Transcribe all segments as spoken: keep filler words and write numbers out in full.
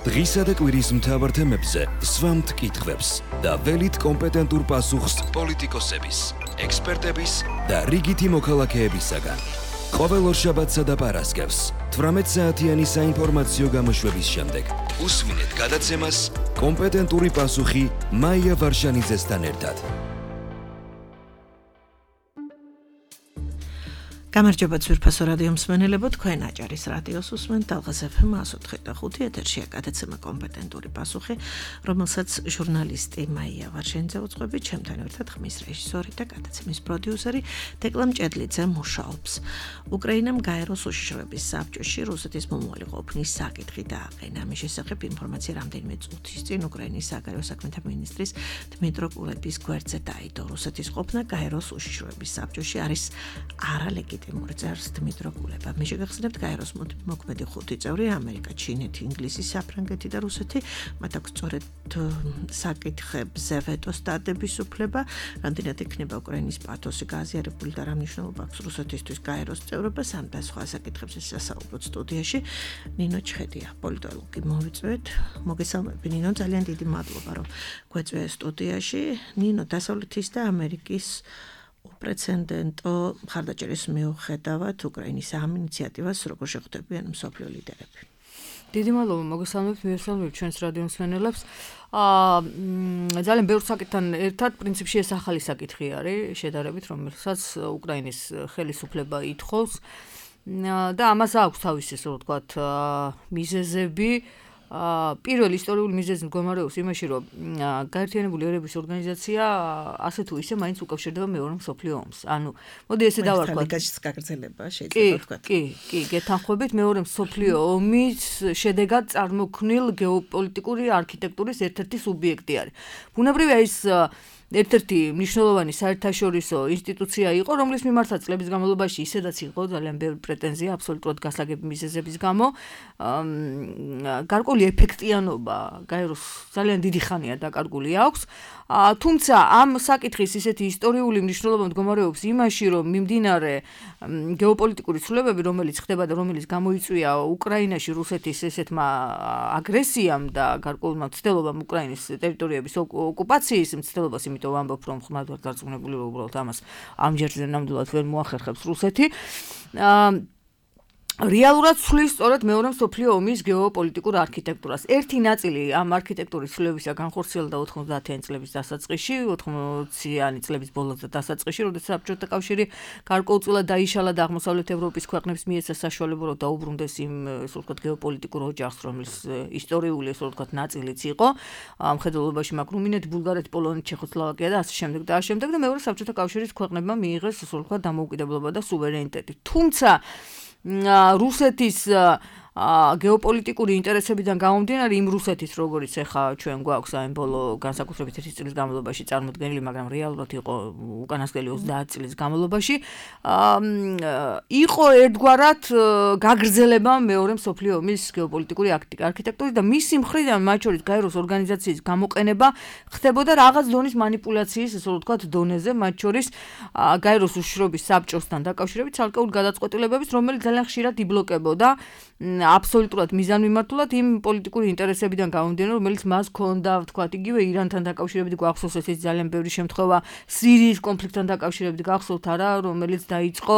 დღისა და კვირის მთავარ თემებზე სვამთ კითხვებს და ველით კომპეტენტურ პასუხს პოლიტიკოსების, ექსპერტების და რიგითი მოქალაქეებისაგან. ყოველ ორშაბათსა და პარასკევს თვრამეტ საათიანი საინფორმაციო გამოშვების შემდეგ უსმინეთ გადაცემას კომპეტენტური პასუხი მაია ვარშანიძესთან ერთად. გამარჯობა ძვირფასო რადიო მსმენელებო, თქვენ აჭარის რადიოს უსმენთ დალღას ეფ ემ εκατო ოთხი და ხუთი ეთერშია გადაცემა კომპეტენტური პასუხი, რომელსაც ჟურნალისტი მაია ვარშანიძე უძღვებით, ჩემთან ერთად ხმის რეჟისორი და გადაცემის პროდიუსერი დეკლა მჭედლიძე მუშაობს. უკრაინამ გაეროს უშიშროების საბჭოში რუსეთის მომავალი ყოფნის საკითხი დააყენა. ამის შესახებ ინფორმაცია რამდენიმე წუთის წინ უკრაინის საგარეო საქმეთა მინისტრის დმიტრო კულების გვერდზე დაიდო. რუსეთის ყოფნა გაეროს უშიშროების საბჭოში არის არალეგიტიმური. მორწარს დმიტრო კულება. მე შეგახსენებთ გაეროს მოქმედი ხუთი წევრი ამერიკა, ჩინეთი, ინგლისი, საფრანგეთი და რუსეთი. მათ აქვს სწორედ საკითხებზე ვეტოს დადების უფლება. რამდენად იქნება უკრაინის პათოსი გააზიარებული და რა მნიშვნელობა აქვს რუსეთისთვის გაეროს წევრობას, ამ და სხვა საკითხებზე სასაუბროთ სტუდიაში. ნინო ჩხედია, პოლიტოლოგი, მოვიწვევთ. მოგესალმები ნინო, ძალიან დიდი მადლობა რომ გვეწვია სტუდიაში. ნინო, დასავლეთის და ამერიკის უპრეცედენტო მხარდაჭერის მიუხედავად უკრაინის ამ ინიციატივას როგორ შეხვდებიან მსოფლიო ლიდერები? დიდი მადლობა, მოგესალმებით, მივესალმებით ჩვენს რადიო მსმენელებს. აა ძალიან ბევრ საკითხთან ერთად პრინციპში ეს ახალი საკითხი არის შედარებით, რომელსაც უკრაინის ხელისუფლება ითხოვს და ამას აქვს თავისი, ასე ვთქვათ, მიზეზები. პირველ ისტორიული მიზეზი მდგომარეობს იმაში, რომ გაერთიანებული ერების ორგანიზაცია ასე თუ ისე მაინც უკავშირდება მეორე მსოფლიო ომს. ანუ მოდი ესე დავარქვათ. ლიგაშიც გაგრძელება შეიძლება ვთქვათ. კი, კი, გეთანხმებით მეორე მსოფლიო ომის შედეგად წარმოქმნილ გეოპოლიტიკური არქიტექტურის ერთ-ერთი სუბიექტი არის. ბუნებრივია ის ერთ-ერთი მნიშვნელოვანი საერთაშორისო ინსტიტუცია იყო, რომლის მიმართაც წლების განმავლობაში ისედაც იყო ძალიან ბევრი პრეტენზია აბსოლუტურად გასაგები მიზეზების გამო. გარკვეული ეფექტიანობა გაეროს ძალიან დიდი ხანია დაკარგული აქვს. თუმცა ამ საკითხის ისეთი ისტორიული მნიშვნელობა მდგომარეობს იმაში, რომ მიმდინარე გეოპოლიტიკური ცვლილებები, რომელიც ხდება და რომელიც გამოიწვია უკრაინაში რუსეთის ესეთმა აგრესიამ და გარკვეულმა მცდელობამ უკრაინის ტერიტორიების ოკუპაციის მცდელობას, იმიტომ ვამბობ, რომ ხმად ვარ დარწმუნებული, რომ უბრალოდ ამას ამჯერზე ნამდვილად ვერ მოახერხებს რუსეთი. რეალურად ცვლის სწორედ მეორე მსოფლიო ომის გეოპოლიტიკურ არქიტექტურას. ერთი ნაწილი ამ არქიტექტურის ცვლილებისა განხორციელდა ოთხმოცდაათიანი წლების დასაწყისში, ოთხმოციანი წლების ბოლოს და დასაწყისში, როდესაც საბჭოთა კავშირი გარკვეულწილად დაიშალა და აღმოსავლეთ ევროპის ქვეყნებს მიეცა საშუალება, რომ დაუბრუნდეს იმ, ასე ვთქვათ, გეოპოლიტიკურ ოჯახს, რომლის ისტორიული, ასე ვთქვათ, ნაწილიც იყო. მხედველობაში მაგ რუმინეთი, ბულგარეთი, პოლონეთი, ჩეხოსლოვაკია და ასე შემდეგ და ასე შემდეგ და მეორე საბჭოთა კავშირის ქვეყნებმა მიიღეს, ასე ვთქვათ, დამოუკიდებლობა და სუვერენიტეტი. თუმცა რუსეთის გეოპოლიტიკური ინტერესებიდან გამომდინარე, იმ რუსეთის, როგორიც ახლა ჩვენ გვაქვს აი ბოლო განსაკუთრებით ერთი წლის განმავლობაში წარმოდგენილი, მაგრამ რეალურად იყო უკანასკნელი ოცდაათი წლის განმავლობაში, იყო ერთგვარად გაგრძელება მეორე მსოფლიო ომის გეოპოლიტიკური არქიტექტურის და მისი მხრიდან, მათ შორის გაეროს ორგანიზაციის გამოყენება ხდებოდა რაღაც დონის მანიპულაციის, ასე ვთქვათ, დონეზე, მათ შორის გაეროს უშიშროების საბჭოსთან დაკავშირებით ცალკეული გადაწყვეტილებების, რომელიც ძალიან ხშირად იბლოკებოდა აბსოლუტურად მიზანმიმართულად იმ პოლიტიკური ინტერესებიდან გამომდინარე, რომელიც მას ჰქონდა, ვთქვათ, იგივე ირანთან დაკავშირებით გვახსოვს ესეც ძალიან ბევრი შემთხვევა, სირიის კონფლიქტთან დაკავშირებით გახსოვთ არა, რომელიც დაიწყო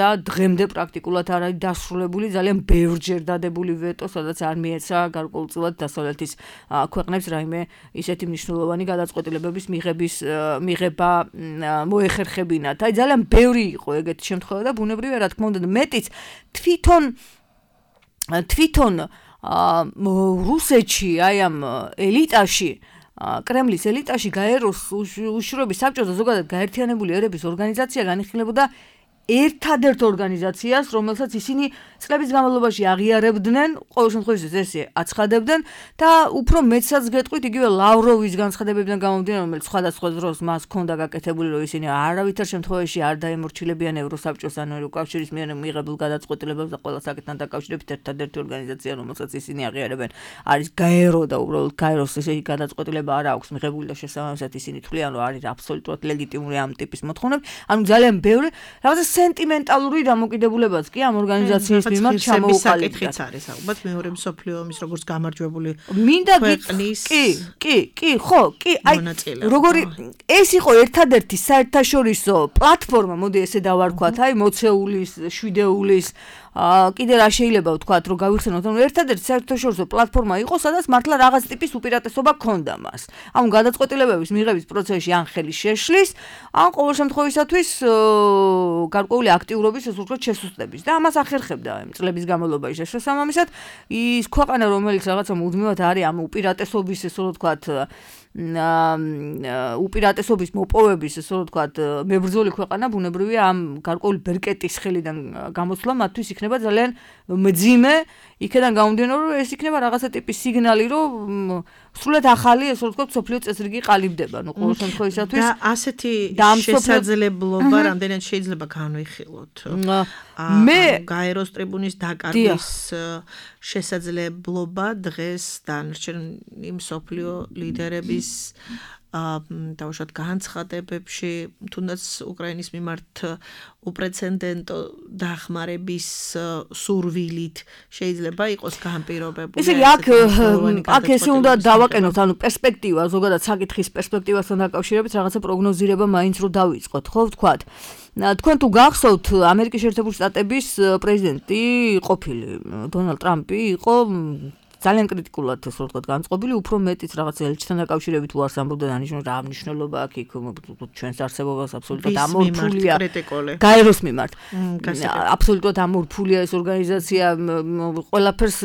და დღემდე პრაქტიკულად არ არის დასრულებული, ძალიან ბევრჯერ დადებული ვეტო, სადაც არ მიეცა გარკვეულწილად დასავლეთის ქვეყნებს რაიმე ისეთი მნიშვნელოვანი გადაწყვეტილებების მიღების მიღება მოეხერხებინათ. აი ძალიან ბევრი იყო ეგეთი შემთხვევა და ბუნებრივია, რა თქმა უნდა, მეტიც თვითონ თვითონ რუსეთში, აი ამ ელიტაში, კრემლის ელიტაში გაეროს უშიშროების საბჭოს და ზოგადად გაერთიანებული ერების ორგანიზაცია განიხილებოდა ერთადერთ ორგანიზაციას, რომელსაც ისინი წლების განმავლობაში აღიარებდნენ, ყოველ შემთხვევაში ესე აცხადებდნენ და უფრო მეცაც გეტყვით, იგივე ლავროვის განცხადებებიდან გამომდინარე, რომელიც სხვადასხვა დროს მას ჰქონდა გაკეთებული, რომ ისინი არავითარ შემთხვევაში არ დაემორჩილებიან ევროსაბჭოს ან ევროკავშირის მიერ მიღებულ გადაწყვეტილებებს და ყველა საკითხთან დაკავშირებით ერთადერთი ორგანიზაცია, რომელსაც ისინი აღიარებენ, არის გაერო და უბრალოდ გაეროს ესეთი გადაწყვეტილება არ აქვს მიღებული და შესაბამისად ისინი თვლიან, რომ არის აბსოლუტურად ლეგიტიმური ამ ტიპის მოთხოვნები. ანუ ძალიან ბევრი რაღაცა სენტიმენტალური დამოკიდებულებაც კი ამ ორგანიზაციის მიმართ ჩამოუყალიბდა. საკითხიც არის ალბათ მეორე მსოფლიო ომის როგორც გამარჯვებული მინდა ქვეყნის კი, კი, კი, ხო, კი, აი როგორი ეს იყო ერთადერთი საერთაშორისო პლატფორმა, მოდი ესე დავარქვათ, აი მოცეულის, შვიდეულის აა კიდე რა შეიძლება ვთქვათ, რომ გავიხსენოთ, რომ ერთადერთი საერთაშორისო პლატფორმა იყო, სადაც მართლა რაღაც ტიპის უპირატესობა ჰქონდა მას. ანუ გადაწყვეტილებების მიღების პროცესში ან ხელი შეშლის, ან ყოველ შემთხვევისათვის გარკვეული აქტიურობის ეს უფრო შესუსტების და ამას ახერხებდა იმ წლების განმავლობაში შესაბამისად ის ქვეყანა, რომელიც რაღაცა მუდმივად არის ამ უპირატესობის ესე რომ ვთქვათ უპირატესობის მოპოვების ესე რომ ვთქვათ მებრძოლი ქვეყანა ბუნებრივია ამ გარკვეული ბერკეტის ხელიდან გამოსვლა მათთვის იქნება ძალიან მძიმე იქიდან გამომდინარე რომ ეს იქნება რაღაცა ტიპის სიგნალი რომ სრულად ახალი ესე რომ ვთქვათ სოფლიო წესრიგი ყალიბდება ნუ ყოველ შემთხვევისათვის და ასეთი შესაძლებლობა რამდენად შეიძლება განვიხილოთ მე გაეროს ტრიბუნის დაკარგვის შესაძლებლობა დღეს დანარჩენი მსოფლიო ლიდერების დავუშვათ განცხადებებში თუნდაც უკრაინის მიმართ უპრეცედენტო დახმარების სურვილით შეიძლება იყოს განპირობებული. ესე იგი აქ აქ ესე უნდა დავაყენოთ ანუ პერსპექტივა ზოგადად საკითხის პერსპექტივასთან დაკავშირებით რაღაცა პროგნოზირება მაინც რო დავიწყოთ ხო ვთქვათ. თქვენ თუ გახსოვთ ამერიკის შეერთებული შტატების პრეზიდენტი ყოფილი დონალდ ტრამპი იყო ძალიან კრიტიკულად ესე ვთქვათ განწყობილი, უფრო მეტიც რაღაც ელჩთან დაკავშირებით უარს ამბობდა დანიშნულ რა მნიშვნელობა აქვს იქ ჩვენს არსებობას აბსოლუტურად ამორფულია გაეროს მიმართ. აბსოლუტურად ამორფულია ეს ორგანიზაცია, ყველაფერს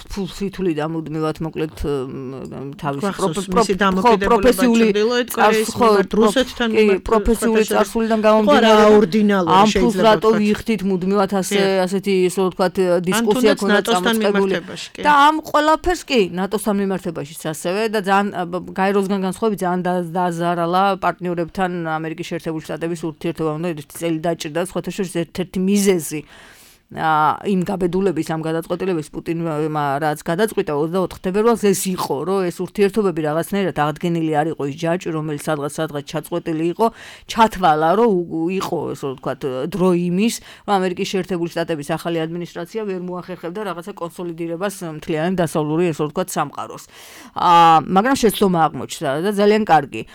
ფულფრითული დამუდმივად მოკლედ თავისი პროფესიული რუსეთთან პროფესიული წარსულიდან გამომდინარე ამ ფულს რატო ვიხდით მუდმივად ასე ასეთი ესე ვთქვათ დისკუსია ქონდა წამოწყებული და ამ ყველაფერს კი ნატოსთან მიმართებაშიც ასევე და ძალიან გაეროსგან განსხვავებით ძალიან დაზარალა პარტნიორებთან ამერიკის შეერთებული შტატების ურთიერთობა უნდა ერთი წელი დაჭირდა სხვათა შორის ერთ-ერთი მიზეზი იმ გაბედულების ამ გადაწყვეტილების პუტინმა რაც გადაწყვიტა ოცდაოთხ თებერვალს ეს იყო რომ ეს ურთიერთობები რაღაცნაირად აღდგენილი არ იყო ის ჯაჭვი რომელიც სადღაც სადღაც ჩაწყვეტილი იყო ჩათვალა რომ იყო ესე ვთქვათ დრო იმის რომ ამერიკის შეერთებული შტატების ახალი ადმინისტრაცია ვერ მოახერხებდა რაღაცა კონსოლიდირებას მთლიანი დასავლური ესე ვთქვათ სამყაროს მაგრამ შეცდომა აღმოჩნდა და ძალიან კარგი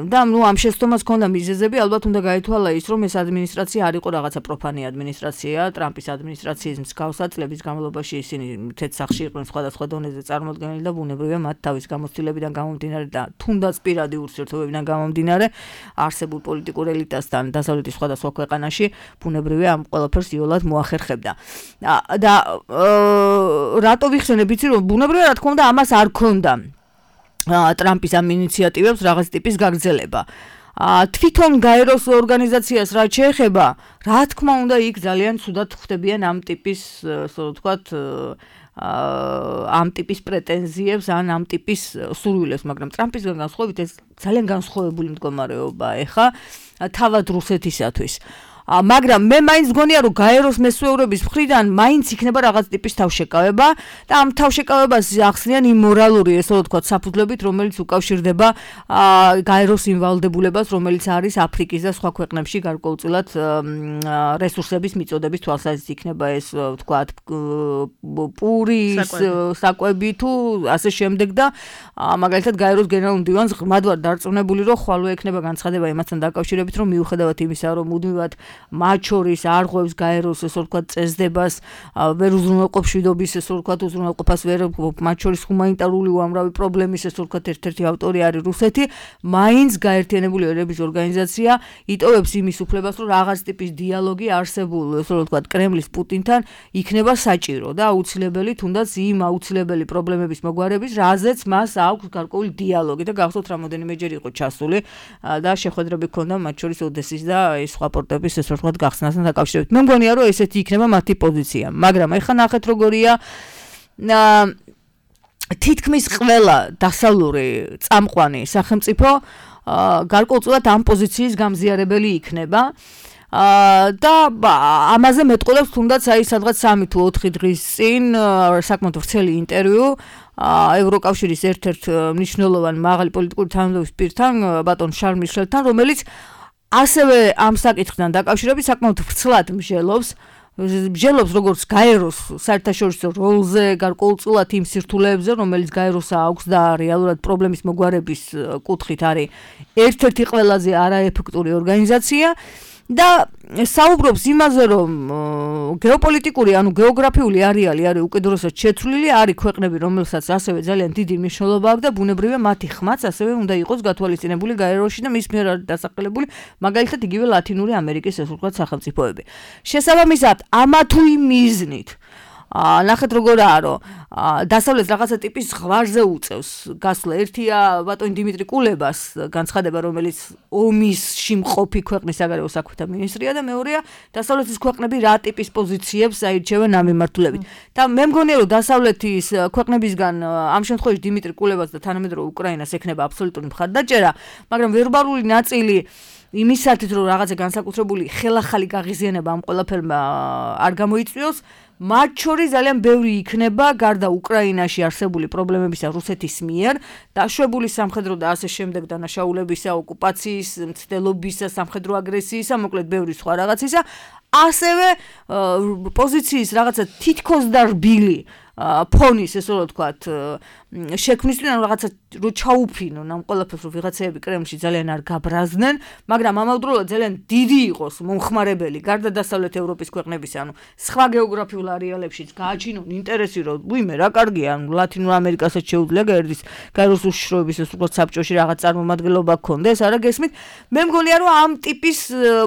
და ნუ ამ შეცდომას ჰქონდა მიზეზები ალბათ უნდა გაითვალა ის რომ ეს ადმინისტრაცია არ იყო რაღაცა პროფანი ადმინისტრაცია ტრამპის ადმინისტრაციის მსგავსად წლების განმავლობაში ისინი თეთრ სახში იყვნენ სხვადასხვა დონეზე წარმოდგენილი და ბუნებრივია მათ თავის გამოცდილებიდან გამომდინარე და თუნდაც პირადი ურთიერთობებიდან გამომდინარე არსებულ პოლიტიკურ ელიტასთან დასავლეთის სხვადასხვა ქვეყანაში ბუნებრივია ამ ყველაფერს იოლად მოახერხებდა და რატო ვიხსენებ იცი რომ ბუნებრივია რა თქმა უნდა ამას არ ქონდა ტრამპის ამ ინიციატივებს რაღაც ტიპის გაგრძელება თვითონ გაეროს ორგანიზაციას რაც შეეხება, რა თქმა უნდა, იქ ძალიან ცუდად ხვდებიან ამ ტიპის, ასე ვთქვათ, ამ ტიპის პრეტენზიებს, ან ამ ტიპის სურვილებს, მაგრამ ტრამპისგან განსხვავებით ეს ძალიან განსხვავებული მდგომარეობა ეხა თავად რუსეთისათვის. მაგრამ მე მაინც გონია რომ გაეროს მესვეურების მხრიდან მაინც იქნება რაღაც ტიპის თავშეკავება და ამ თავშეკავებას ახსნიან იმ მორალური ესე ვთქვათ საფუძვლებით რომელიც უკავშირდება გაეროს იმვალდებულებას რომელიც არის აფრიკის და სხვა ქვეყნებში გარკვეულწილად რესურსების მიწოდების თვალსაზრისით იქნება ეს ვთქვათ პურის საკვები თუ ასე შემდეგ და მაგალითად გაეროს გენერალურ მდივანს ღრმად ვარ დარწმუნებული რომ ხვალვე ექნება განცხადება იმასთან დაკავშირებით რომ მიუხედავად იმისა რომ მუდმივად მათ შორის არღვევს გაეროს ესე ვთქვათ წესდებას ვერ უზრუნველყოფს შვიდობის ესე ვთქვათ უზრუნველყოფას ვერ მათ შორის ჰუმანიტარული უამრავი პრობლემის ესე ვთქვათ ერთ-ერთი ავტორი არის რუსეთი მაინც გაერთიანებული ერების ორგანიზაცია იტოვებს იმის უფლებას რომ რაღაც ტიპის დიალოგი არსებულ ესე ვთქვათ კრემლის პუტინთან იქნება საჭირო და აუცილებელი თუნდაც იმ აუცილებელი პრობლემების მოგვარების რაზეც მას აქვს გარკვეული დიალოგი და გახსოვთ რამოდენიმეჯერ იყო ჩასული და შეხვედრები ჰქონდა მათ შორის ოდესის და ეს სხვა პორტების ეს ვთქვათ გახსნასთან დაკავშირებით. მე მგონია რომ ესეთი იქნება მათი პოზიცია, მაგრამ ეხლა ნახეთ როგორია თითქმის ყველა დასავლური წამყვანი სახელმწიფო გარკვეულწილად ამ პოზიციის გამზიარებელი იქნება. და ამაზე მეტყოლებს თუნდაც აი სადღაც სამი თუ ოთხი დღის წინ საკმაოდ ვრცელი ინტერვიუ ევროკავშირის ერთ-ერთ მნიშვნელოვან მაღალი პოლიტიკური თანამდებობის პირთან ბატონ შარლ მიშელთან, რომელიც ასევე ამ საკითხთან დაკავშირებით საკმაოდ ვრცლად მსჯელობს მსჯელობს როგორც გაეროს საერთაშორისო როლზე, გარკვეულწილად იმ სირთულეებზე, რომელიც გაეროს აქვს და რეალურად პრობლემის მოგვარების კუთხით არის ერთ-ერთი ყველაზე არაეფექტური ორგანიზაცია და საუბრობს იმაზე, რომ გეოპოლიტიკური, ანუ გეოგრაფიული არეალი არის უკიდურესად შეცვლილი, არის ქვეყნები, რომელსაც ასევე ძალიან დიდი მნიშვნელობა აქვს და ბუნებრივია მათი ხმაც ასევე უნდა იყოს გათვალისწინებული გაეროში და მის მიერ არის დასახელებული, მაგალითად იგივე ლათინური ამერიკის ესე ვთქვათ სახელმწიფოები. შესაბამისად, ამა თუ იმ მიზნით ნახეთ როგორაა, რომ დასავლეთ რაღაცა ტიპის ზღვარზე უწევს გასვლა. ერთია ბატონი დიმიტრი კულებას განცხადება, რომელიც ომისში მყოფი ქვეყნის საგარეო საქმეთა მინისტრია და მეორეა დასავლეთის ქვეყნები რა ტიპის პოზიციებს აირჩევენ ამ მიმართულებით. და მე მგონია, რომ დასავლეთის ქვეყნებისგან ამ შემთხვევაში დიმიტრი კულებას და თანამედროვე უკრაინას ექნება აბსოლუტური მხარდაჭერა, მაგრამ ვერბალური ნაწილი იმისათვის, რომ რაღაცა განსაკუთრებული ხელახალი გაღიზიანება ამ ყველაფერმა არ გამოიწვიოს, მათ შორის ძალიან ბევრი იქნება გარდა უკრაინაში არსებული პრობლემებისა რუსეთის მიერ, დაშვებული სამხედრო და ასე შემდეგ დანაშაულებისა, ოკუპაციის, მცდელობისა, სამხედრო აგრესიისა, მოკლედ ბევრი სხვა რაღაცისა, ასევე პოზიციის რაღაცა თითქოს და რბილი ფონის, ესე რომ ვთქვათ, შექმნისთვის, ანუ რაღაცა რო ჩაუფინონ ამ ყველაფერს, რომ ვიღაცეები კრემლში ძალიან არ გაბრაზდნენ, მაგრამ ამავდროულად ძალიან დიდი იყოს მომხმარებელი გარდა დასავლეთ ევროპის ქვეყნების, ანუ სხვა გეოგრაფიულ არეალებშიც გააჩინონ ინტერესი, რომ ვიმე რა კარგია, ანუ ლათინურ ამერიკასაც შეუძლია გაერდის გაეროს უშიშროების ეს უბრალოდ საბჭოში რაღაც წარმომადგენლობა გქონდეს, არა გესმით? მე მგონია, რომ ამ ტიპის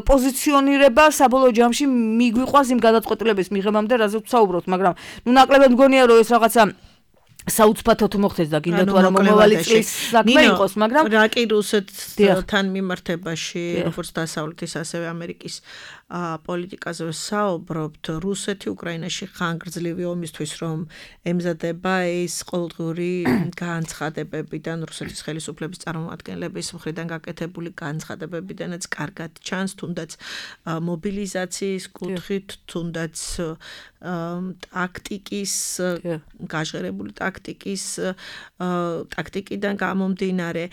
პოზიციონირება საბოლოო ჯამში მიგვიყვას იმ გადაწყვეტილების მიღებამდე, რაზეც ვსაუბრობთ, მაგრამ ნუ ნაკლებად მგონია, რომ ეს რაღაცა საუცბათოდ მოხდეს და გინდა თუ არა მომავალი წლის საქმე იყოს, მაგრამ რა კი რუსეთთან მიმართებაში, როგორც დასავლეთის, ასევე ამერიკის პოლიტიკაზე საუბრობთ, რუსეთი უკრაინაში ხანგრძლივი ომისთვის რომ ემზადება ის ყოველდღიური განცხადებებიდან, რუსეთის ხელისუფლების წარმომადგენლების მხრიდან გაკეთებული განცხადებებიდანაც კარგად ჩანს, თუნდაც მობილიზაციის კუთხით, თუნდაც ტაქტიკის, გაჟღერებული ტაქტიკის ტაქტიკიდან გამომდინარე,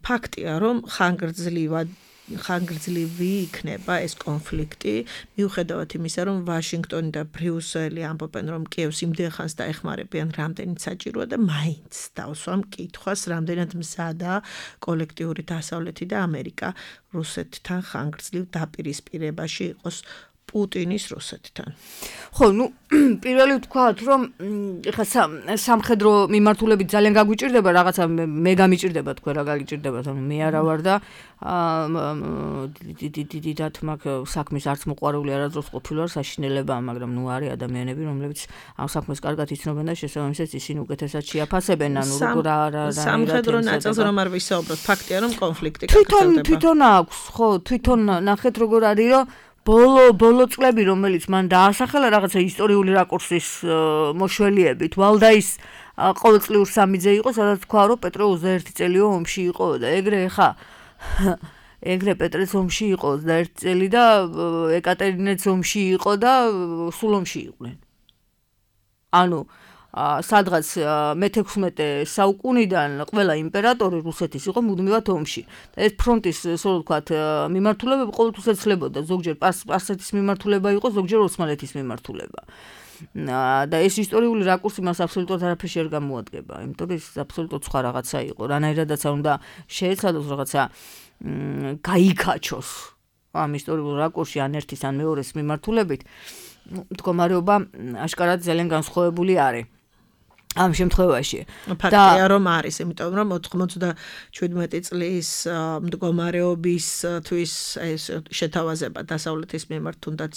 ფაქტია, რომ ხანგრძლივად ხანგრძლივი იქნება ეს კონფლიქტი, მიუხედავად იმისა, რომ ვაშინგტონი და ბრიუსელი ამბობენ, რომ კიევს იმდენ ხანს დაეხმარებიან, რამდენიც საჭიროა და მაინც დავსვამ კითხვას, რამდენად მზადაა კოლექტიური დასავლეთი და ამერიკა რუსეთთან ხანგრძლივ დაპირისპირებაში იყოს პუტინის რუსეთთან. ხო, ნუ პირველი ვთქვათ, რომ ეხლა სამხედრო მიმართულებით ძალიან გაგვიჭირდება რაღაცა მე გამიჭირდება თქვენ რა გაგიჭირდებათ, ანუ მე არა ვარ და დიდად მაგ საქმის არც მოყვარული არადროს ყოფილი ვარ საშინელება, მაგრამ ნუ არის ადამიანები, რომლებიც ამ საქმეს კარგად იცნობენ და შესაბამისად ისინი უკეთესად შეაფასებენ, ანუ როგორ არა რა სამხედრო ნაწილს რომ არ ვისაუბროთ, ფაქტია რომ კონფლიქტი გაგრძელდება. თვითონ თვითონ აქვს, ხო, თვითონ ნახეთ როგორ არის, რომ ბოლო ბოლო წლები, რომელიც მან დაასახელა რაღაცა ისტორიული რაკურსის მოშველიებით, ვალდაის ყოველწლიურ სამიძე იყო, სადაც თქვა, რომ პეტრე ოცდაერთი წელიო ომში იყო და ეგრე ხა ეგრე პეტრეც ომში იყო ოცდაერთი წელი და ეკატერინეც ომში იყო და სულ ომში იყვნენ. ანუ სადღაც მეთექვსმეტე საუკუნიდან ყველა იმპერატორი რუსეთის იყო მუდმივად ომში. და ეს ფრონტის, ასე ვთქვათ, მიმართულებები ყოველთვის ეცლებოდა, ზოგჯერ სპარსეთის მიმართულება იყო, ზოგჯერ ოსმალეთის მიმართულება. და ეს ისტორიული რაკურსი მას აბსოლუტურად არაფერში არ გამოადგება, იმიტომ რომ ეს აბსოლუტურად სხვა რაღაცა იყო. რანაირადაც უნდა შეეცადოს რაღაცა გაიქაჩოს ამ ისტორიულ რაკურსში ან ერთის ან მეორეს მიმართულებით, მდგომარეობა აშკარად ძალიან განსხვავებული არის. ამ შემთხვევაში. ფაქტია რომ არის, იმიტომ რომ ოთხმოცდაშვიდმეტი წლის მდგომარეობისთვის ეს შეთავაზება დასავლეთის მიმართ თუნდაც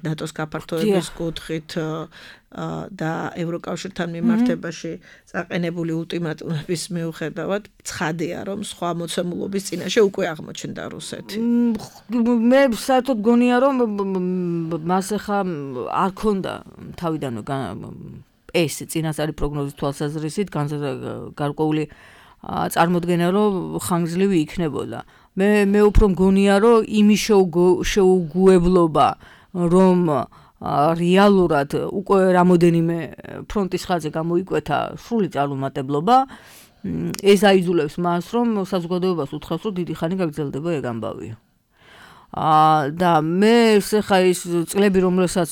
ნატოს გაფართოების კუთხით და ევროკავშირთან მიმართებაში წაყენებული ულტიმატუმების მიუხედავად ცხადია რომ სხვა მოცემულობის წინაშე უკვე აღმოჩნდა რუსეთი. მე საერთოდ გონია რომ მას ახლა არ ქონდა თავიდანვე ეს წინასწარი პროგნოზის თვალსაზრისით გარკვეული წარმოდგენა რომ ხანგრძლივი იქნებოდა. მე მე უფრო მგონია რომ იმის შეუგუებლობა რომ რეალურად უკვე რამოდენიმე ფრონტის ხაზზე გამოიკვეთა სრული წარუმატებლობა ეს აიძულებს მას, რომ საზოგადოებას უთხრას, რომ დიდი ხანი გაგრძელდება ეგ ამბავი. აა და მე ხა ის წლები რომელსაც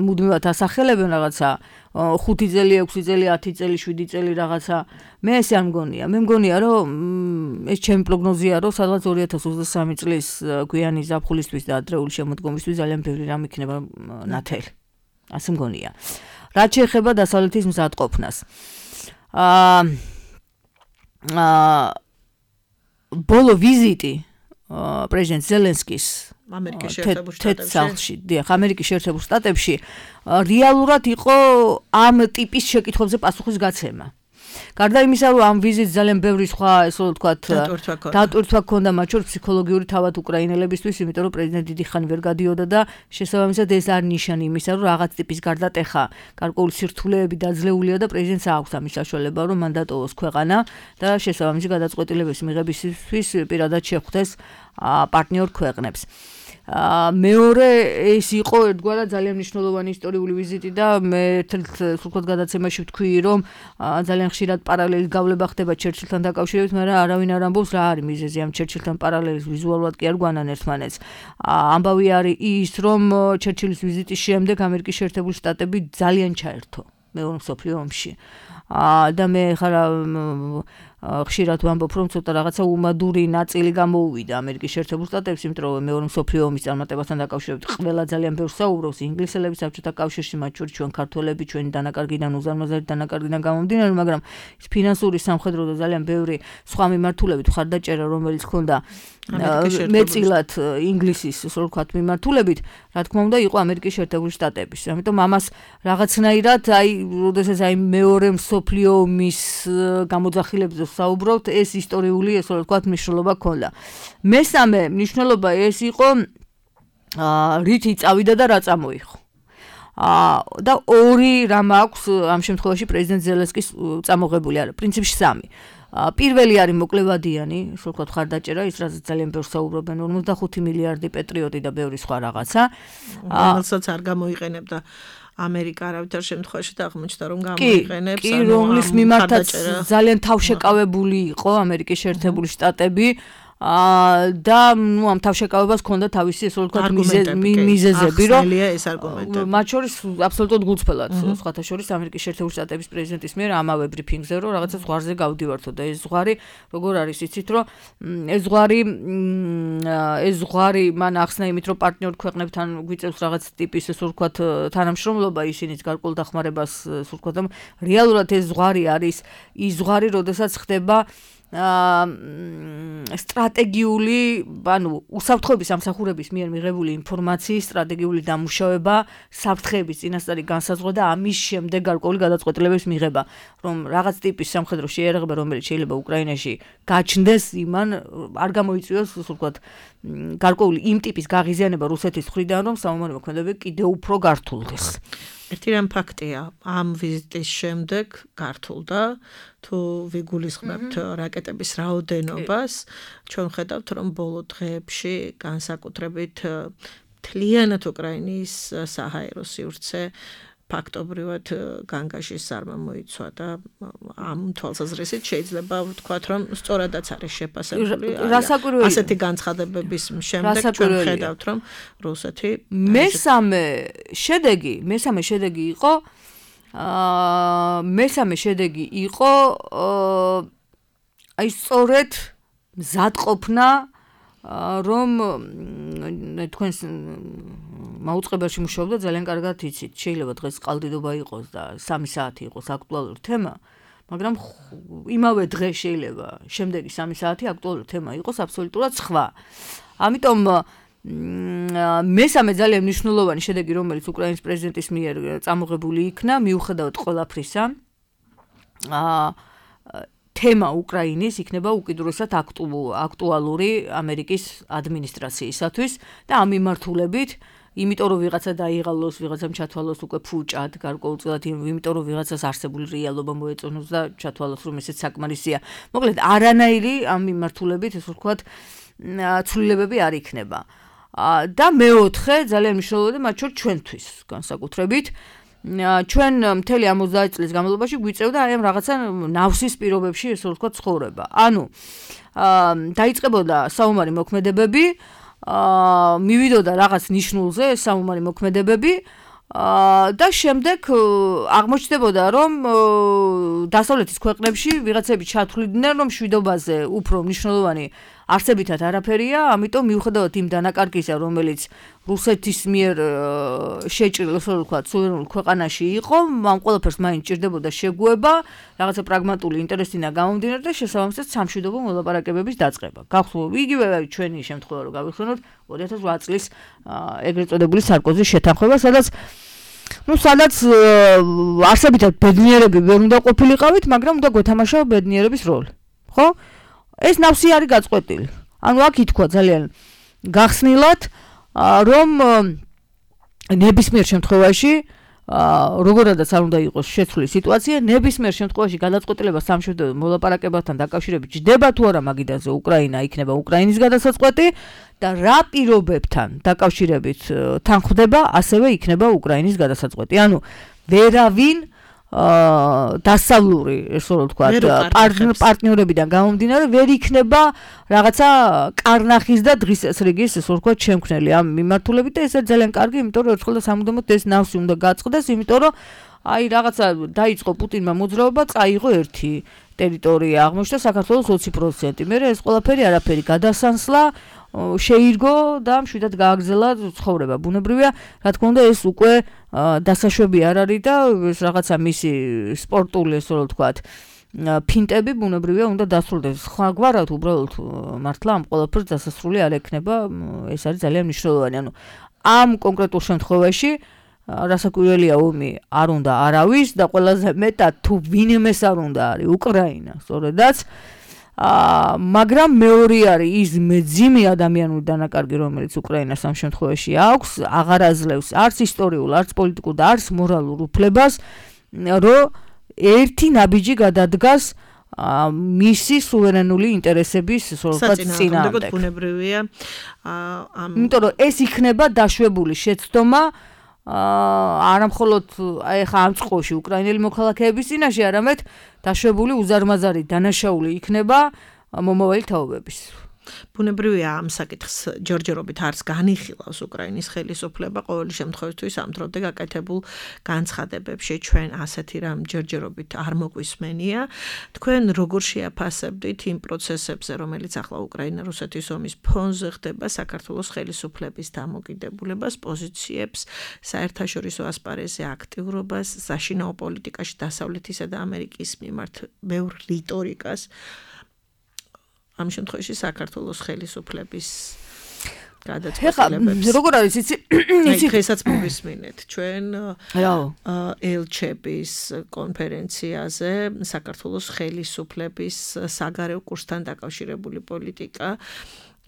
მუდმივად ასახელებენ რაღაცა ხუთი წელი, ექვსი წელი, ათი წელი, შვიდი წელი რაღაცა მე ესე არ მგონია. მე მგონია რომ ეს ჩემი პროგნოზია რომ სადღაც ორი ათას ოცდასამი წლის გვიანი ზაფხულისთვის და ადრეული შემოდგომისთვის ძალიან ბევრი რამ იქნება ნათელი. ასე მგონია. რაც შეეხება დასავლეთის მზადყოფნას. აა აა ბოლო ვიზიტი პრეზიდენტ ზელენსკის ამერიკის შეერთებულ შტატებში, დიახ, ამერიკის შეერთებულ შტატებში რეალურად იყო ამ ტიპის შეკითხვებზე პასუხის გაცემა. გარდა იმისა, რომ ამ ვიზიტს ძალიან ბევრი სხვა, ესე რომ ვთქვათ, დატვირთვა ჰქონდა, მათ შორის ფსიქოლოგიური თავად უკრაინელებისთვის, იმიტომ რომ პრეზიდენტი დიდი ხანი ვერ გადიოდა და შესაბამისად ეს არ ნიშანი იმისა, რომ რაღაც ტიპის გარდატეხა, გარკვეული სირთულეები დაძლეულია და პრეზიდენტს აქვს ამის საშუალება, რომ მან დატოვოს ქვეყანა და შესაბამისი გადაწყვეტილების მიღებისთვის პირადად შეხვდეს პარტნიორ ქვეყნებს. მეორე ეს იყო ერთგვარად ძალიან მნიშვნელოვანი ისტორიული ვიზიტი და მე ერთ-ერთ სულხოთ გადაცემაში ვთქვი, რომ ძალიან ხშირად პარალელის გავლება ხდება ჩერჩილთან დაკავშირებით, მაგრამ არავინ არ ამბობს რა არის მიზეზი ამ ჩერჩილთან პარალელის ვიზუალურად კი არ გვანან ერთმანეთს. ამბავი არის ის, რომ ჩერჩილის ვიზიტის შემდეგ ამერიკის შეერთებული შტატები ძალიან ჩაერთო მეორე მსოფლიო ომში. და მე ხარა ხშირად ვამბობ, რომ ცოტა რაღაცა უმადური ნაწილი გამოუვიდა ამერიკის შეერთებულ შტატებს, იმიტომ რომ მეორე მსოფლიო ომის წარმატებასთან დაკავშირებით ყველა ძალიან ბევრს საუბრობს ინგლისელები საბჭოთა კავშირში, მათ შორის ჩვენ ქართველები, ჩვენი დანაკარგიდან, უზარმაზარი დანაკარგიდან გამომდინარე, მაგრამ ის ფინანსური, სამხედრო და ძალიან ბევრი სხვა მიმართულებით მხარდაჭერა, რომელიც ჰქონდა მეწილად ინგლისის, ასე ვთქვათ, მიმართულებით, რა თქმა უნდა, იყო ამერიკის შეერთებული შტატების. ამიტომ ამას რაღაცნაირად, აი, როდესაც აი მეორე მსოფლიო ომის გამოძახილებზე საუბრობთ, ეს ისტორიული, ასე ვთქვათ, მნიშვნელობა ჰქონდა. მესამე მნიშვნელობა ეს იყო, რით იწავიდა და რა წამოიღო. და ორი რამ აქვს ამ შემთხვევაში პრეზიდენტ ზელენსკის წამოღებული არა, პრინციპში სამი. პირველი არის მოკლევადიანი, ასე ვთქვათ, ხარდაჭერა, ის რაც ძალიან ბევრს საუბრობენ, ორმოცდახუთი მილიარდი პეტრიოტი და ბევრი სხვა რაღაცა. რომელსაც არ გამოიყენებდა ამერიკა არავითარ შემთხვევაში და აღმოჩნდა რომ გამოიყენებს, ანუ რომლის მიმართაც ძალიან თავშეკავებული იყო ამერიკის შეერთებული შტატები და ნუ ამ თავშეკავებას ჰქონდა თავისი, ესე ვთქვათ, მიზეზები, რომ ეს არგუმენტები. მათ შორის აბსოლუტურად გულწრფელად, სხვათა შორის ამერიკის შეერთებული შტატების პრეზიდენტის მიერ ამავე ბრიფინგზე, რომ რაღაცა ზღვარზე გავდივართო და ეს ზღვარი როგორ არის, იცით, რომ ეს ზღვარი ეს ზღვარი მან ახსნა იმით, რომ პარტნიორ ქვეყნებთან გვიწევს რაღაც ტიპის, ესე ვთქვათ, თანამშრომლობა, ისინიც გარკვეულ დახმარებას, ესე ვთქვათ, რეალურად ეს ზღვარი არის ის ზღვარი, როდესაც ხდება სტრატეგიული, ანუ უსაფრთხოების სამსახურების მიერ მიღებული ინფორმაციის სტრატეგიული დამუშავება, საფრთხეების წინასწარი განსაზღვრა და ამის შემდეგ გარკვეული გადაწყვეტილებების მიღება, რომ რაღაც ტიპის სამხედრო შეიარაღება, რომელიც შეიძლება უკრაინაში გაჩნდეს, იმან არ გამოიწვიოს, ასე ვთქვათ, გარკვეული იმ ტიპის გაღიზიანება რუსეთის მხრიდან, რომ სამომავლო მოქმედებები კიდევ უფრო გართულდეს. ერთი რამ ფაქტია, ამ ვიზიტის შემდეგ გართულდა, თუ ვიგულისხმებთ რაკეტების რაოდენობას, ჩვენ ხედავთ, რომ ბოლო დღეებში განსაკუთრებით მთლიანად უკრაინის საჰაერო სივრცე ფაქტობრივად განგაშის ზარმა მოიცვა და ამ თვალსაზრისით შეიძლება ვთქვათ, რომ სწორადაც არის შეფასებული. ასეთი განცხადებების შემდეგ ჩვენ ხედავთ, რომ რუსეთი მესამე შედეგი, მესამე შედეგი იყო აა მესამე შედეგი იყო აი სწორედ მზადყოფნა რომ თქვენს მაუწყებელში მუშაობდა ძალიან კარგად იცით, შეიძლება დღეს ყალდიდობა იყოს და სამი საათი იყოს აქტუალური თემა, მაგრამ იმავე დღე შეიძლება შემდეგი სამი საათი აქტუალური თემა იყოს აბსოლუტურად სხვა. ამიტომ მესამე ძალიან მნიშვნელოვანი შედეგი, რომელიც უკრაინის პრეზიდენტის მიერ წამოღებული იქნა, მიუხედავად ყველაფრისა, აა თემა უკრაინის იქნება უკიდურესად აქტუალური ამერიკის ადმინისტრაციისათვის და ამ მიმართულებით, იმიტომ რომ ვიღაცა დაიღალოს, ვიღაცამ ჩათვალოს უკვე ფუჭად, გარკვეულწილად, იმიტომ რომ ვიღაცას არსებული რეალობა მოეწონოს და ჩათვალოს, რომ ესეც საკმარისია. მოკლედ, არანაირი ამ მიმართულებით, ესე ვთქვათ, ცვლილებები არ იქნება. და მეოთხე ძალიან მნიშვნელოვანი, მათ შორის ჩვენთვის განსაკუთრებით, ჩვენ მთელი ორმოცდაათი წლის განმავლობაში გვიწევდა აი ამ რაღაცა ნავსის პირობებში ესე ვთქვათ ცხოვრება. ანუ დაიწყებოდა საომარი მოქმედებები, მივიდოდა რაღაც ნიშნულზე საომარი მოქმედებები და შემდეგ აღმოჩნდებოდა რომ დასავლეთის ქვეყნებში ვიღაცები ჩათვლიდნენ რომ მშვიდობაზე უფრო მნიშვნელოვანი არსებითად არაფერია, ამიტომ მიუხედავად იმ დანაკარგისა, რომელიც რუსეთის მიერ შეჭრილ, ასე ვთქვათ, სუვერენულ ქვეყანაში იყო, ამ ყველაფერს მაინც ჭირდებოდა შეგუება, რაღაცა პრაგმატული ინტერესიდან გამომდინარე და შესაბამისად სამშვიდობო მოლაპარაკებების დაწყება. გახსოვთ, იგივე ჩვენი შემთხვევა რო გავიხსენოთ ორი ათას ოთხ წლის ეგრეთ წოდებული სარკოზის შეთანხმება, სადაც ну, სადაც არსებითად ბედნიერები ვერ უნდა ყოფილიყავით, მაგრამ უნდა გვეთამაშა ბედნიერების როლი. ხო? ეს ნავსი არის გაწყვეტილი. ანუ აქ ითქვა ძალიან გახსნილად, რომ ნებისმიერ შემთხვევაში, როგორადაც არ უნდა იყოს შეცვლილი სიტუაცია, ნებისმიერ შემთხვევაში გადაწყვეტილება სამშვიდობო მოლაპარაკებასთან დაკავშირებით ჯდება თუ არა მაგიდანზე უკრაინა იქნება უკრაინის გადასაწყვეტი და რა პირობებთან დაკავშირებით თან ხვდება, ასევე იქნება უკრაინის გადასაწყვეტი. ანუ ვერავინ დასავლური, ესე ვთქვათ, პარტნიორებიდან გამომდინარე ვერ იქნება რაღაცა კარნახის და დღის წესრიგის, ესე ვთქვათ, შემქმნელი ამ მიმართულებით და ეს არის ძალიან კარგი, იმიტომ რომ ერთხელ და სამუდამოდ ეს ნავსი უნდა გაწყდეს, იმიტომ რომ აი რაღაცა დაიწყო პუტინმა მოძრაობა, წაიღო ერთი ტერიტორია, აღმოჩნდა საქართველოს ოცი პროცენტი. მე ეს ყველაფერი არაფერი გადასანსლა შეირგო და მშვიდად გააგრძელა ცხოვრება. ბუნებრივია, რა თქმა უნდა, ეს უკვე დასაშვები არ არის და ეს რაღაცა მისი სპორტული, ესე ვთქვათ, ფინტები ბუნებრივია უნდა დასრულდეს. სხვაგვარად უბრალოდ მართლა ამ ყველაფერს დასასრული არ ექნება, ეს არის ძალიან მნიშვნელოვანი. ანუ ამ კონკრეტულ შემთხვევაში რასაკვირველია ომი არ უნდა არავის და ყველაზე მეტად თუ ვინმეს არ უნდა არის უკრაინა, სწორედაც მაგრამ მეორე არის ის მეძიმე ადამიანური დანაკარგი, რომელიც უკრაინას ამ შემთხვევაში აქვს, აღარ აძლევს არც ისტორიულ, არც პოლიტიკურ და არც მორალურ უფლებას, რომ ერთი ნაბიჯი გადადგას მისი სუვერენული ინტერესების საწინააღმდეგოდ. ბუნებრივია, იმიტომ რომ ეს იქნება დაშვებული შეცდომა არა მხოლოდ აი ხა ამ წყოში უკრაინელი მოქალაქეების წინაშე, არამედ დაშვებული უზარმაზარი დანაშაული იქნება მომავალი თაობების. ბუნებრივია, ამ საკითხს ჯერჯერობით არც განიხილავს უკრაინის ხელისუფლება, ყოველი შემთხვევისთვის ამ დრომდე გაკეთებულ განცხადებებში ჩვენ ასეთი რამ ჯერჯერობით არ მოგვისმენია. თქვენ როგორ შეაფასებდით იმ პროცესებზე, რომელიც ახლა უკრაინა-რუსეთის ომის ფონზე ხდება, საქართველოს ხელისუფლების დამოკიდებულებას, პოზიციებს, საერთაშორისო ასპარეზზე აქტიურობას, საშინაო პოლიტიკაში დასავლეთისა და ამერიკის მიმართ ბევრ რიტორიკას, ამ შემთხვევაში საქართველოს ხელისუფლების გადაწყვეტილებებს. როგორ არის იცი? იცი დღესაც მოვისმინეთ ჩვენ ელჩების კონფერენციაზე საქართველოს ხელისუფლების საგარეო კურსთან დაკავშირებული პოლიტიკა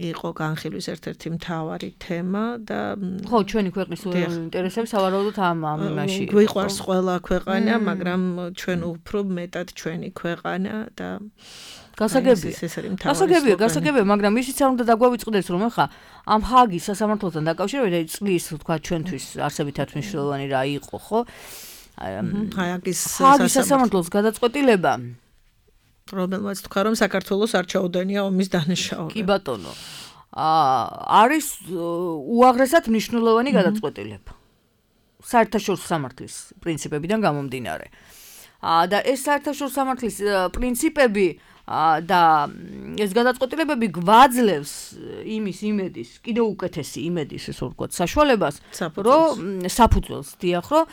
იყო განხილვის ერთ-ერთი მთავარი თემა და ხო, ჩვენი ქვეყნის ინტერესებს სავარაუდოდ ამ ამ იმაში. გვიყვარს ყველა ქვეყანა, მაგრამ ჩვენ უფრო მეტად ჩვენი ქვეყანა და გასაგებია. გასაგებია, გასაგებია, მაგრამ ისიც არ უნდა დაგვავიწყდეს, რომ ახლა ამ ჰაგის სასამართლოსთან დაკავშირებით წლის, თქვა, ჩვენთვის არსებითად მნიშვნელოვანი რა იყო, ხო? ჰაგის სასამართლოს გადაწყვეტილება, რომელმაც თქვა, რომ საქართველოს არ ჩაუდენია ომის დანაშაულება. კი ბატონო. არის უაღრესად მნიშვნელოვანი გადაწყვეტილება. საერთაშორისო სამართლის პრინციპებიდან გამომდინარე. და ეს საერთაშორისო სამართლის პრინციპები და ეს გადაწყვეტილებები გვაძლევს იმის იმედის, კიდევ უკეთესი იმედის, ესე ვთქვათ, საშუალებას, რომ საფუძველს დიახ, რომ